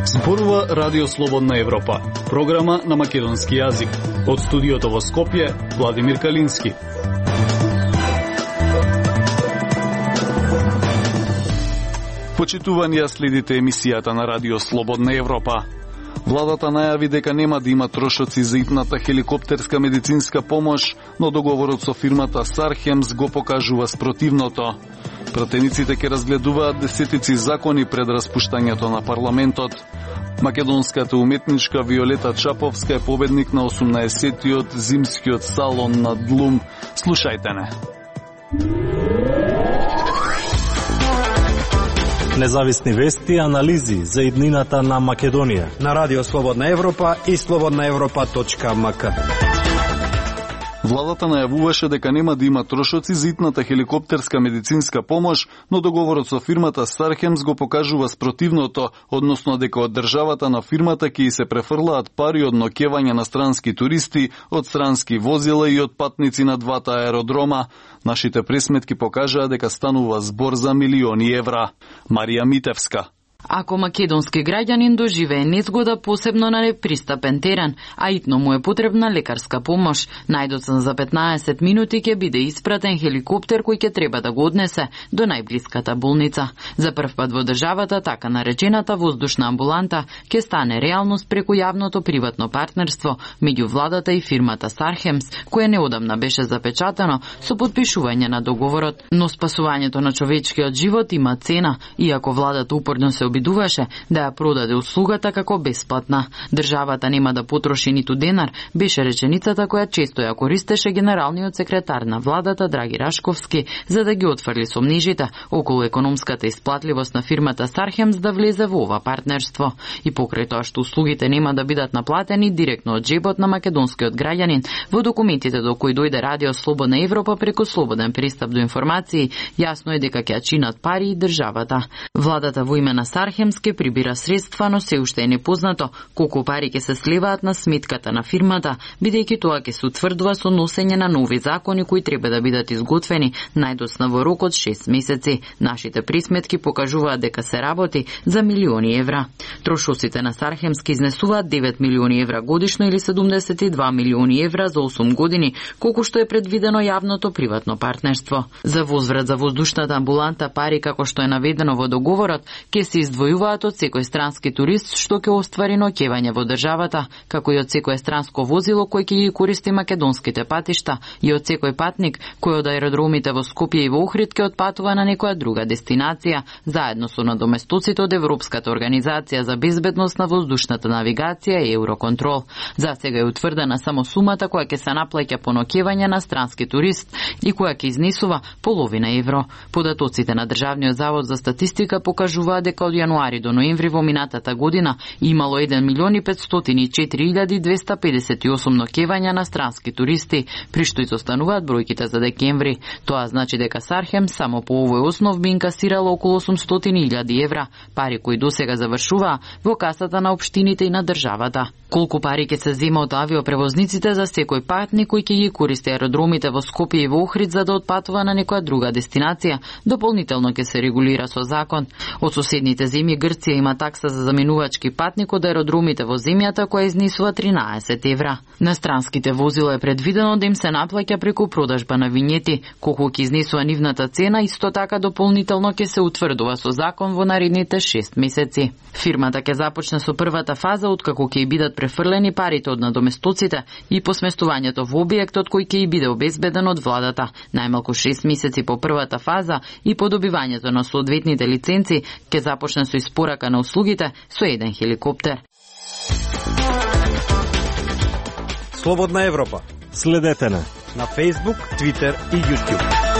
Зборува Радио Слободна Европа, програма на македонски јазик. Од студиото во Скопје, Владимир Калински. Почитувани, следите емисијата на Радио Слободна Европа. Владата најави дека нема да има трошоци за итната хеликоптерска медицинска помош, но договорот со фирмата Сархемс го покажува спротивното. Пратениците ќе разгледуваат десетици закони пред распуштањето на парламентот. Македонската уметничка Виолета Чаповска е победник на 18-тиот зимскиот салон на Длум. Слушајте не. Независни вести и анализи за иднината на Македонија на Радио Слободна Европа и slobodnaevropa.mk. Владата најавуваше дека нема да има трошоци за итната хеликоптерска медицинска помош, но договорот со фирмата Сархемс го покажува спротивното, односно дека од државата на фирмата ќе се префрлаат пари од ноќевање на странски туристи, од странски возила и од патници на двата аеродрома. Нашите пресметки покажаа дека станува збор за милиони евра. Марија Митевска. Ако македонски граѓанин доживее незгода посебно на непристапен терен, а итно му е потребна лекарска помош, најдоцна за 15 минути ќе биде испратен хеликоптер кој ќе треба да го однесе до најблиската болница. За прв пат во државата така наречената воздушна амбуланта ќе стане реалност преку јавното приватно партнерство меѓу владата и фирмата Сархемс, кое неодамна беше запечатано со подпишување на договорот, но спасувањето на човечкиот живот има цена, иако владата упорно се обидуваше да ја продаде услугата како бесплатна. Државата нема да потроши ниту денар, беше реченицата која често ја користеше генералниот секретар на владата Драги Рашковски за да ги отфрли сомнежите околу економската исплатливост на фирмата Сархемс да влезе во ова партнерство. И покрај тоа што услугите нема да бидат наплатени директно од џебот на македонскиот граѓанин, во документите до кои дојде Радио Слободна Европа преку слободен пристап до информации, јасно е дека ќе чинат пари и државата. Владата во име на Сархемс ке прибира средства, но се уште е непознато колку пари ќе се сливаат на сметката на фирмата, бидејќи тоа ќе се утврдува со носење на нови закони кои треба да бидат изготвени најдоцна во рок од 6 месеци. Нашите присметки покажуваат дека се работи за милиони евра. Трошоците на Сархемс ке изнесуваат 9 милиони евра годишно или 72 милиони евра за 8 години, колку што е предвидено јавното приватно партнерство. За возврат за воздушната амбуланта пари, како што е наведено во договорот, ќе се издвојуваат од секој странски турист што ќе оствари ноќевање во државата, како и од секое странско возило кој ќе ги користи македонските патишта и од секој патник кој од аеродромите во Скопје и во Охрид ќе отпатува на некоја друга дестинација, заедно со надоместоците од Европската организација за безбедност на воздушната навигација и Евроконтрол. За сега е утврдена само сумата која ќе се наплаќа по ноќевање на странски турист и која ќе изнесува половина евро. Податоците на Државниот завод за статистика покажуваат дека од јануари до ноември во минатата година имало 1.504.258 ноќевања на странски туристи, при што изостануваат бројките за декември. Тоа значи дека Сархем само по овој основ би инкасирало околу 800.000 евра, пари кои досега завршуваа во касата на општините и на државата. Колку пари ќе се зема од авиопревозниците за секој патник кој ќе ги користи аеродромите во Скопје и во Охрид за да отпатува на некоја друга дестинација, дополнително ќе се регулира со закон. Од соседните земји Грција има такса за заменувачки патник од аеродромите во земјата која изнесува 13 евра. На странските возила е предвидено да им се наплаќа преку продажба на винјети, колку ќе изнесува нивната цена, исто така дополнително ќе се утврдува со закон во наредните 6 месеци. Фирмата ќе започне со првата фаза откако ќе бидат префрлени парите од надоместоците и посместувањето во објектот кој ќе биде обезбеден од владата. Најмалку 6 месеци по првата фаза и по добивањето на соодветните лиценци ќе започне со испорака на услугите со еден хеликоптер. Слободна Европа. Следете на Facebook, Twitter и YouTube.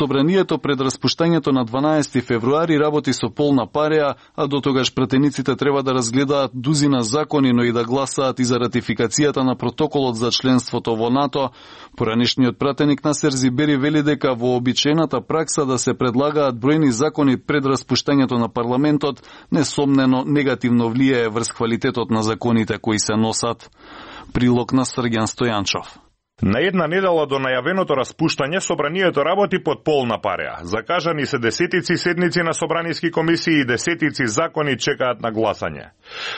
Собранието пред распуштањето на 12 февруари работи со полна пареа, а до тогаш пратениците треба да разгледаат дузина закони, но и да гласаат и за ратификацијата на протоколот за членството во НАТО. Поранешниот пратеник Насер Зибери вели дека вообичаената пракса да се предлагаат бројни закони пред распуштањето на парламентот несомнено негативно влијае врз квалитетот на законите кои се носат. Прилог на Срѓан Стојанчов. На една недела до најавеното распуштање, собранието работи под полна пареа. Закажани се десетици седници на собраниски комисии и десетици закони чекаат на гласање.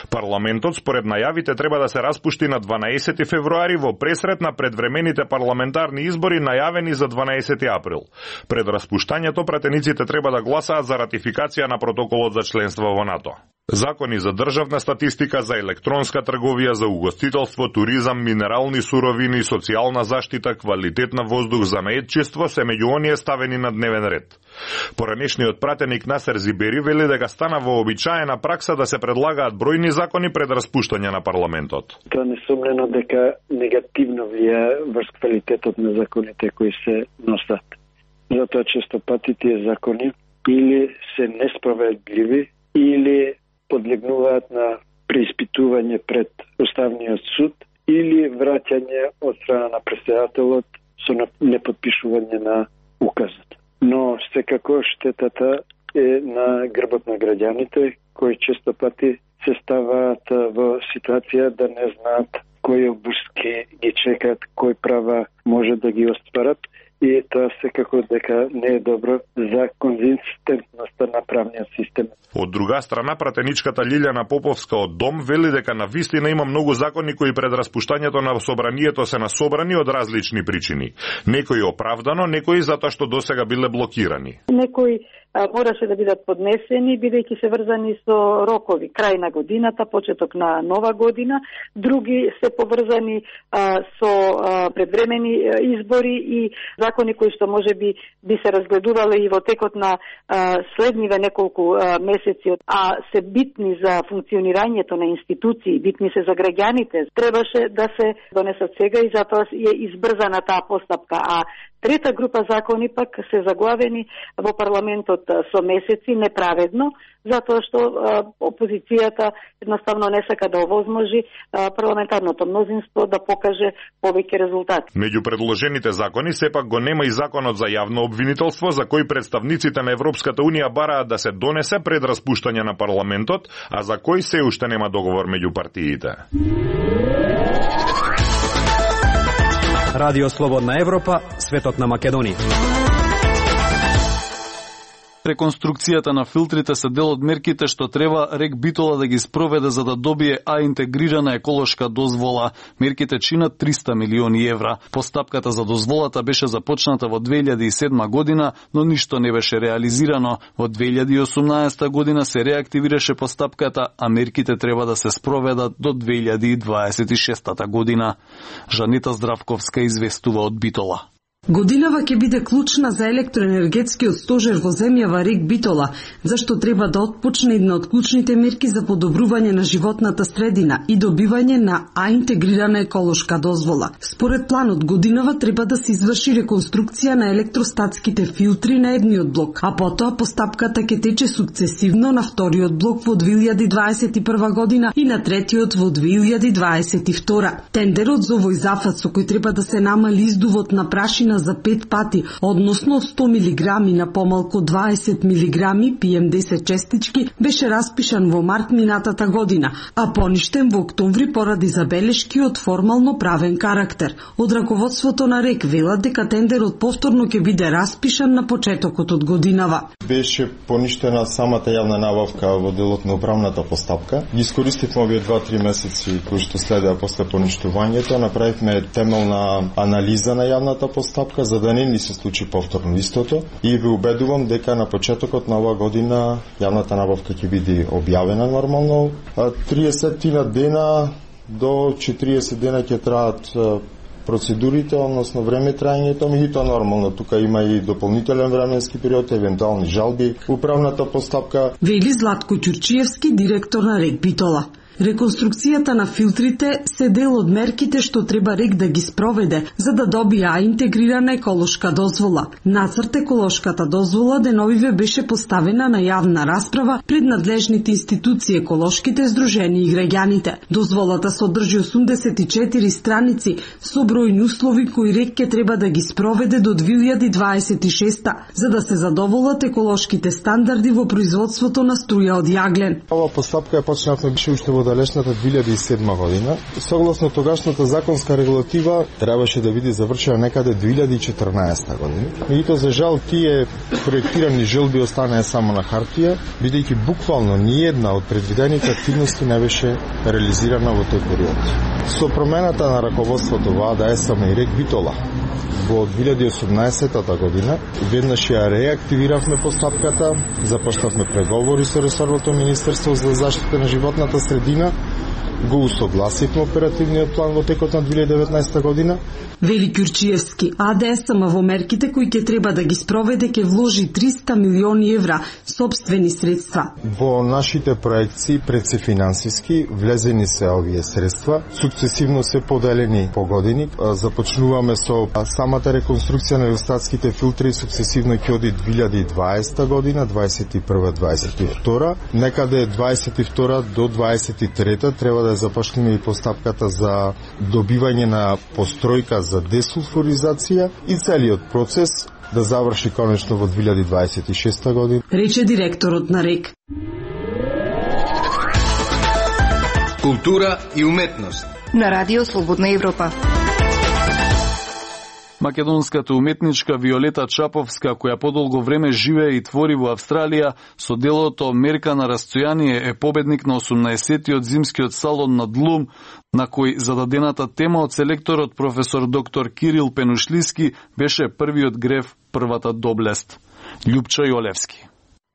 Парламентот, според најавите, треба да се распушти на 12 февруари во пресрет на предвремените парламентарни избори најавени за 12 април. Пред распуштањето, пратениците треба да гласаат за ратификација на протоколот за членство во НАТО. Закони за државна статистика, за електронска трговија, за угостителство, туризам, минерални суровини, социјална заштита, квалитет на воздух, занаетчество се меѓу оние ставени на дневен ред. Поранешниот пратеник Насер Зибери вели дека стана вообичаена пракса да се предлагаат бројни закони пред распуштање на парламентот. Тоа несомнено дека негативно влијае врз квалитетот на законите кои се носат. Затоа често пати тие закони или се несправедливи, или подлегнуваат на преиспитување пред Уставниот суд, или враќање од страна на претседателот со непотпишување на указот. Но секако штетата е на грбот на граѓаните, кои често пати се ставаат во ситуација да не знаат кои обуски ги чекаат, кои права може да ги остварат, и тоа секако дека не е добро за конзистентноста на правниот систем. Од друга страна, пратеничката Лилјана Поповска од Дом вели дека на вистина има многу закони кои пред распуштањето на собранието се насобрани од различни причини. Некои оправдано, некои затоа што досега биле блокирани. Некои мораше да бидат поднесени, бидејќи се врзани со рокови, крај на годината, почеток на нова година, други се поврзани со предвремени избори и закони кои што може би се разгледувале и во текот на следниве неколку месеци, а се битни за функционирањето на институции, битни се за граѓаните, требаше да се донесат сега и затоа е избрзана таа постапка. А трета група закони пак се заглавени во парламентот со месеци неправедно, затоа што опозицијата едноставно не сака да овозможи парламентарното мнозинство да покаже повеќе резултати. Меѓу предложените закони сепак го нема и законот за јавно обвинителство, за кој представниците на Европската унија бараат да се донесе пред распуштање на парламентот, а за кој се уште нема договор меѓу партиите. Радио Слободна Европа, светот на Македонија. Реконструкцијата на филтрите се дел од мерките што треба РЕК Битола да ги спроведе за да добие интегрирана еколошка дозвола. Мерките чинат 300 милиони евра. Постапката за дозволата беше започната во 2007 година, но ништо не беше реализирано. Во 2018 година се реактивираше постапката, а мерките треба да се спроведат до 2026 година. Жанета Здравковска известува од Битола. Годинава ќе биде клучна за електроенергетскиот стожер во земјава РЕК Битола, зашто треба да отпочне една од клучните мерки за подобрување на животната средина и добивање на интегрирана еколошка дозвола. Според планот, годинава треба да се изврши реконструкција на електростатските филтри на едниот блок, а потоа постапката ќе тече сукцесивно на вториот блок во 2021 година и на третиот во 2022. Тендерот за овој зафат со кој треба да се намали издувот на прашина за 5 пати, односно 100 милиграми на помалку 20 милиграми PM10 честички, беше распишан во март минатата година, а поништен во октомври поради забелешки од формално правен карактер. Од раководството на РЕК велат дека тендерот повторно ќе биде распишан на почетокот од годинава. Беше поништена самата јавна набавка во делот на управната постапка. Ги искористивме овие 2-3 месеци кои што следеа после поништувањето, направивме темелна анализа на јавната постапка за да не ни се случи повторно истото и ви убедувам дека на почетокот на оваа година јавната набавка ќе биде објавена нормално. 30 дена до 40 дена ќе траат процедурите, односно време трајањето, меѓутоа нормално тука има и дополнителен временски период, евентуални жалби, управната постапка. Вели Златко Ќурчиевски, директор на РЕК Битола. Реконструкцијата на филтрите се дел од мерките што треба РЕК да ги спроведе за да добија интегрирана еколошка дозвола. Нацрт еколошката дозвола деновиве беше поставена на јавна расправа пред надлежните институции, еколошките здруженија и граѓаните. Дозволата содржи 84 страници со бројни услови кои РЕК ќе треба да ги спроведе до 2026 за да се задоволат еколошките стандарди во производството на струја од јаглен. Ова постапка ја почнавме беше уште во во далечната 2007 година. Согласно тогашната законска регулатива требаше да биде завршена некаде 2014 година. Меѓутоа за жал тие проектирани желби останаа само на хартија, бидејќи буквално ниедна од предвидените активности не беше реализирана во тој период. Со промената на раководството во АДС и РЕК Битола во 2018 година веднаш ја реактивиравме постапката, започнавме преговори со ресорното Министерство за заштита на животната средина, го усогласивме оперативниот план во текот на 2019 година. Вели Ќурчиевски, АДСМ во мерките кои ќе треба да ги спроведе ќе вложи 300 милиони евра сопствени средства. Во нашите проекции пред се финансиски влезени се овие средства, сукцесивно се поделени по години. Започнуваме со самата реконструкција на недостатските филтри, сукцесивно ќе оди 2020 година, 21-22. Некаде 22 до 23 треба да започнеме и постапката за добивање на постројка за десулфуризација и целиот процес да заврши конечно во 2026 година. Рече директорот на РЕК. Култура и уметност на Радио Слободна Европа. Македонската уметничка Виолета Чаповска, која подолго време живее и твори во Австралија, со делото Мерка на растојание е победник на 18-тиот зимскиот салон на Длум, на кој зададената тема од селекторот професор доктор Кирил Пенушлиски беше првиот грев, првата доблест. Љупчо Јолевски.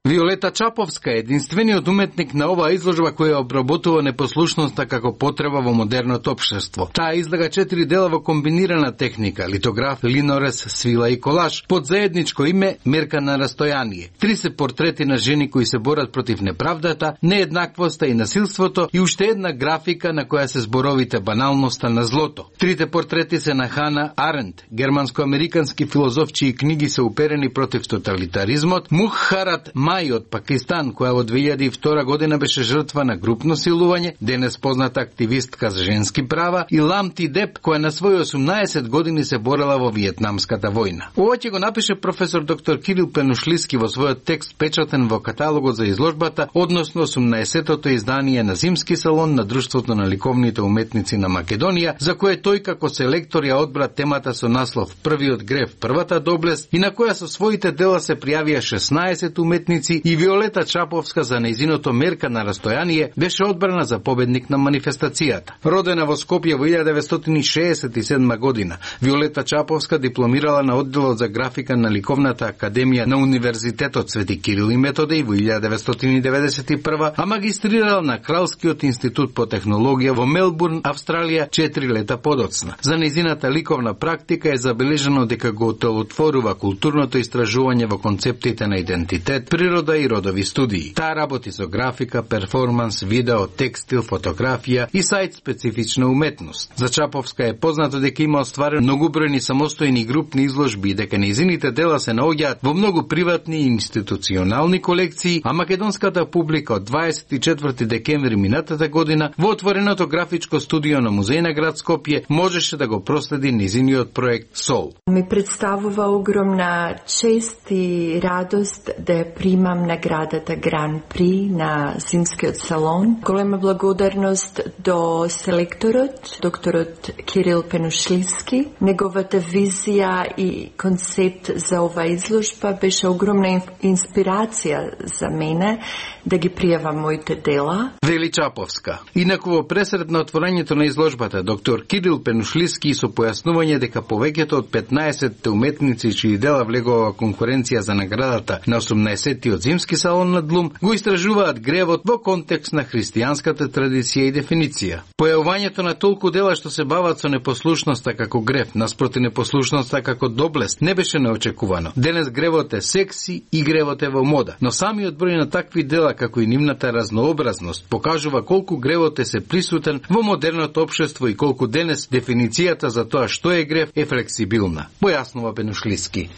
Виолета Чаповска е единствениот уметник на оваа изложба која обработува непослушноста како потреба во модерното општество. Таа излага 4 дела во комбинирана техника: литограф, линорез, свила и колаж, под заедничко име Мерка на растојание. 3 се портрети на жени кои се борат против неправдата, нееднаквоста и насилството и уште една графика на која се зборовите баналноста на злото. 3 портрети се на Хана Аренд, германско-американски филозоф чии книги се уперени против тоталитаризмот, Мухарат Мај од Пакистан, која во 2002 година беше жртва на групно силување, денес позната активистка за женски права, и Ламти Деп, која на своји 18 години се борела во Виетнамската војна. Ова ќе го напише професор доктор Кирил Пенушлиски во својот текст печатен во каталогот за изложбата, односно 18-тото издание на Зимски салон на Друштвото на ликовните уметници на Македонија, за кое тој како селектор ја одбра темата со наслов Првиот грев, првата доблест, и на која со своите дела се пријавија 16 уметници, и Виолета Чаповска за нејзиното Мерка на растојание беше одбрана за победник на манифестацијата. Родена во Скопје во 1967 година, Виолета Чаповска дипломирала на одделот за графика на Ликовната академија на Универзитетот Свети Кирил и Методеј во 1991, а магистрирала на Кралскиот институт по технологија во Мелбурн, Австралија, 4 лета подоцна. За нејзината ликовна практика е забележано дека го отворува културното истражување во концептите на идентитет, природа и родови студии. Таа работи со графика, перформанс, видео, текстил, фотографија и сајт специфична уметност. За Чаповска е познато дека има остварен многобројни самостојни групни изложби и дека нејзините дела се наоѓаат во многу приватни и институционални колекции, а македонската публика од 24 декември минатата година во отвореното графичко студио на Музеј на град Скопје можеше да го проследи нејзиниот проект Сол. Ми представува огромна чест и радост да примам наградата Гран При на Зимскиот салон. Голема благодарност до селекторот, докторот Кирил Пенушлиски. Неговата визија и концепт за ова изложба беше огромна инспирација за мене да ги пријавам моите дела. Вели Чаповска. Инаку во пресред на отворањето на изложбата, доктор Кирил Пенушлиски со појаснување дека повеќето од 15 уметници чии дела влегува во конкуренција за наградата на 18-тиот Зимски салон на Длум го истражуваат гревот во контекст на христијанската традиција и дефиниција. Појавувањето на толку дела што се бават со непослушноста како грев, наспроти непослушноста како доблест, не беше неочекувано. Денес гревот е секси и гревот е во мода, но самиот број на такви дела како и нивната разнообразност покажува колку гревот е се присутен во модерното општество и колку денес дефиницијата за тоа што е грев е флексибилна. Појаснува Пенушлиски.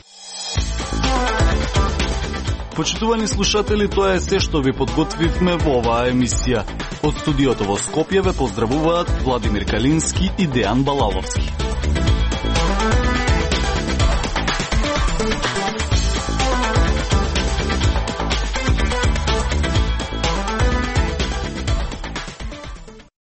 Почитувани слушатели, тоа е се што ви подготвивме во оваа емисија. Од студиото во Скопје ве поздравуваат Владимир Калински и Дејан Балаловски.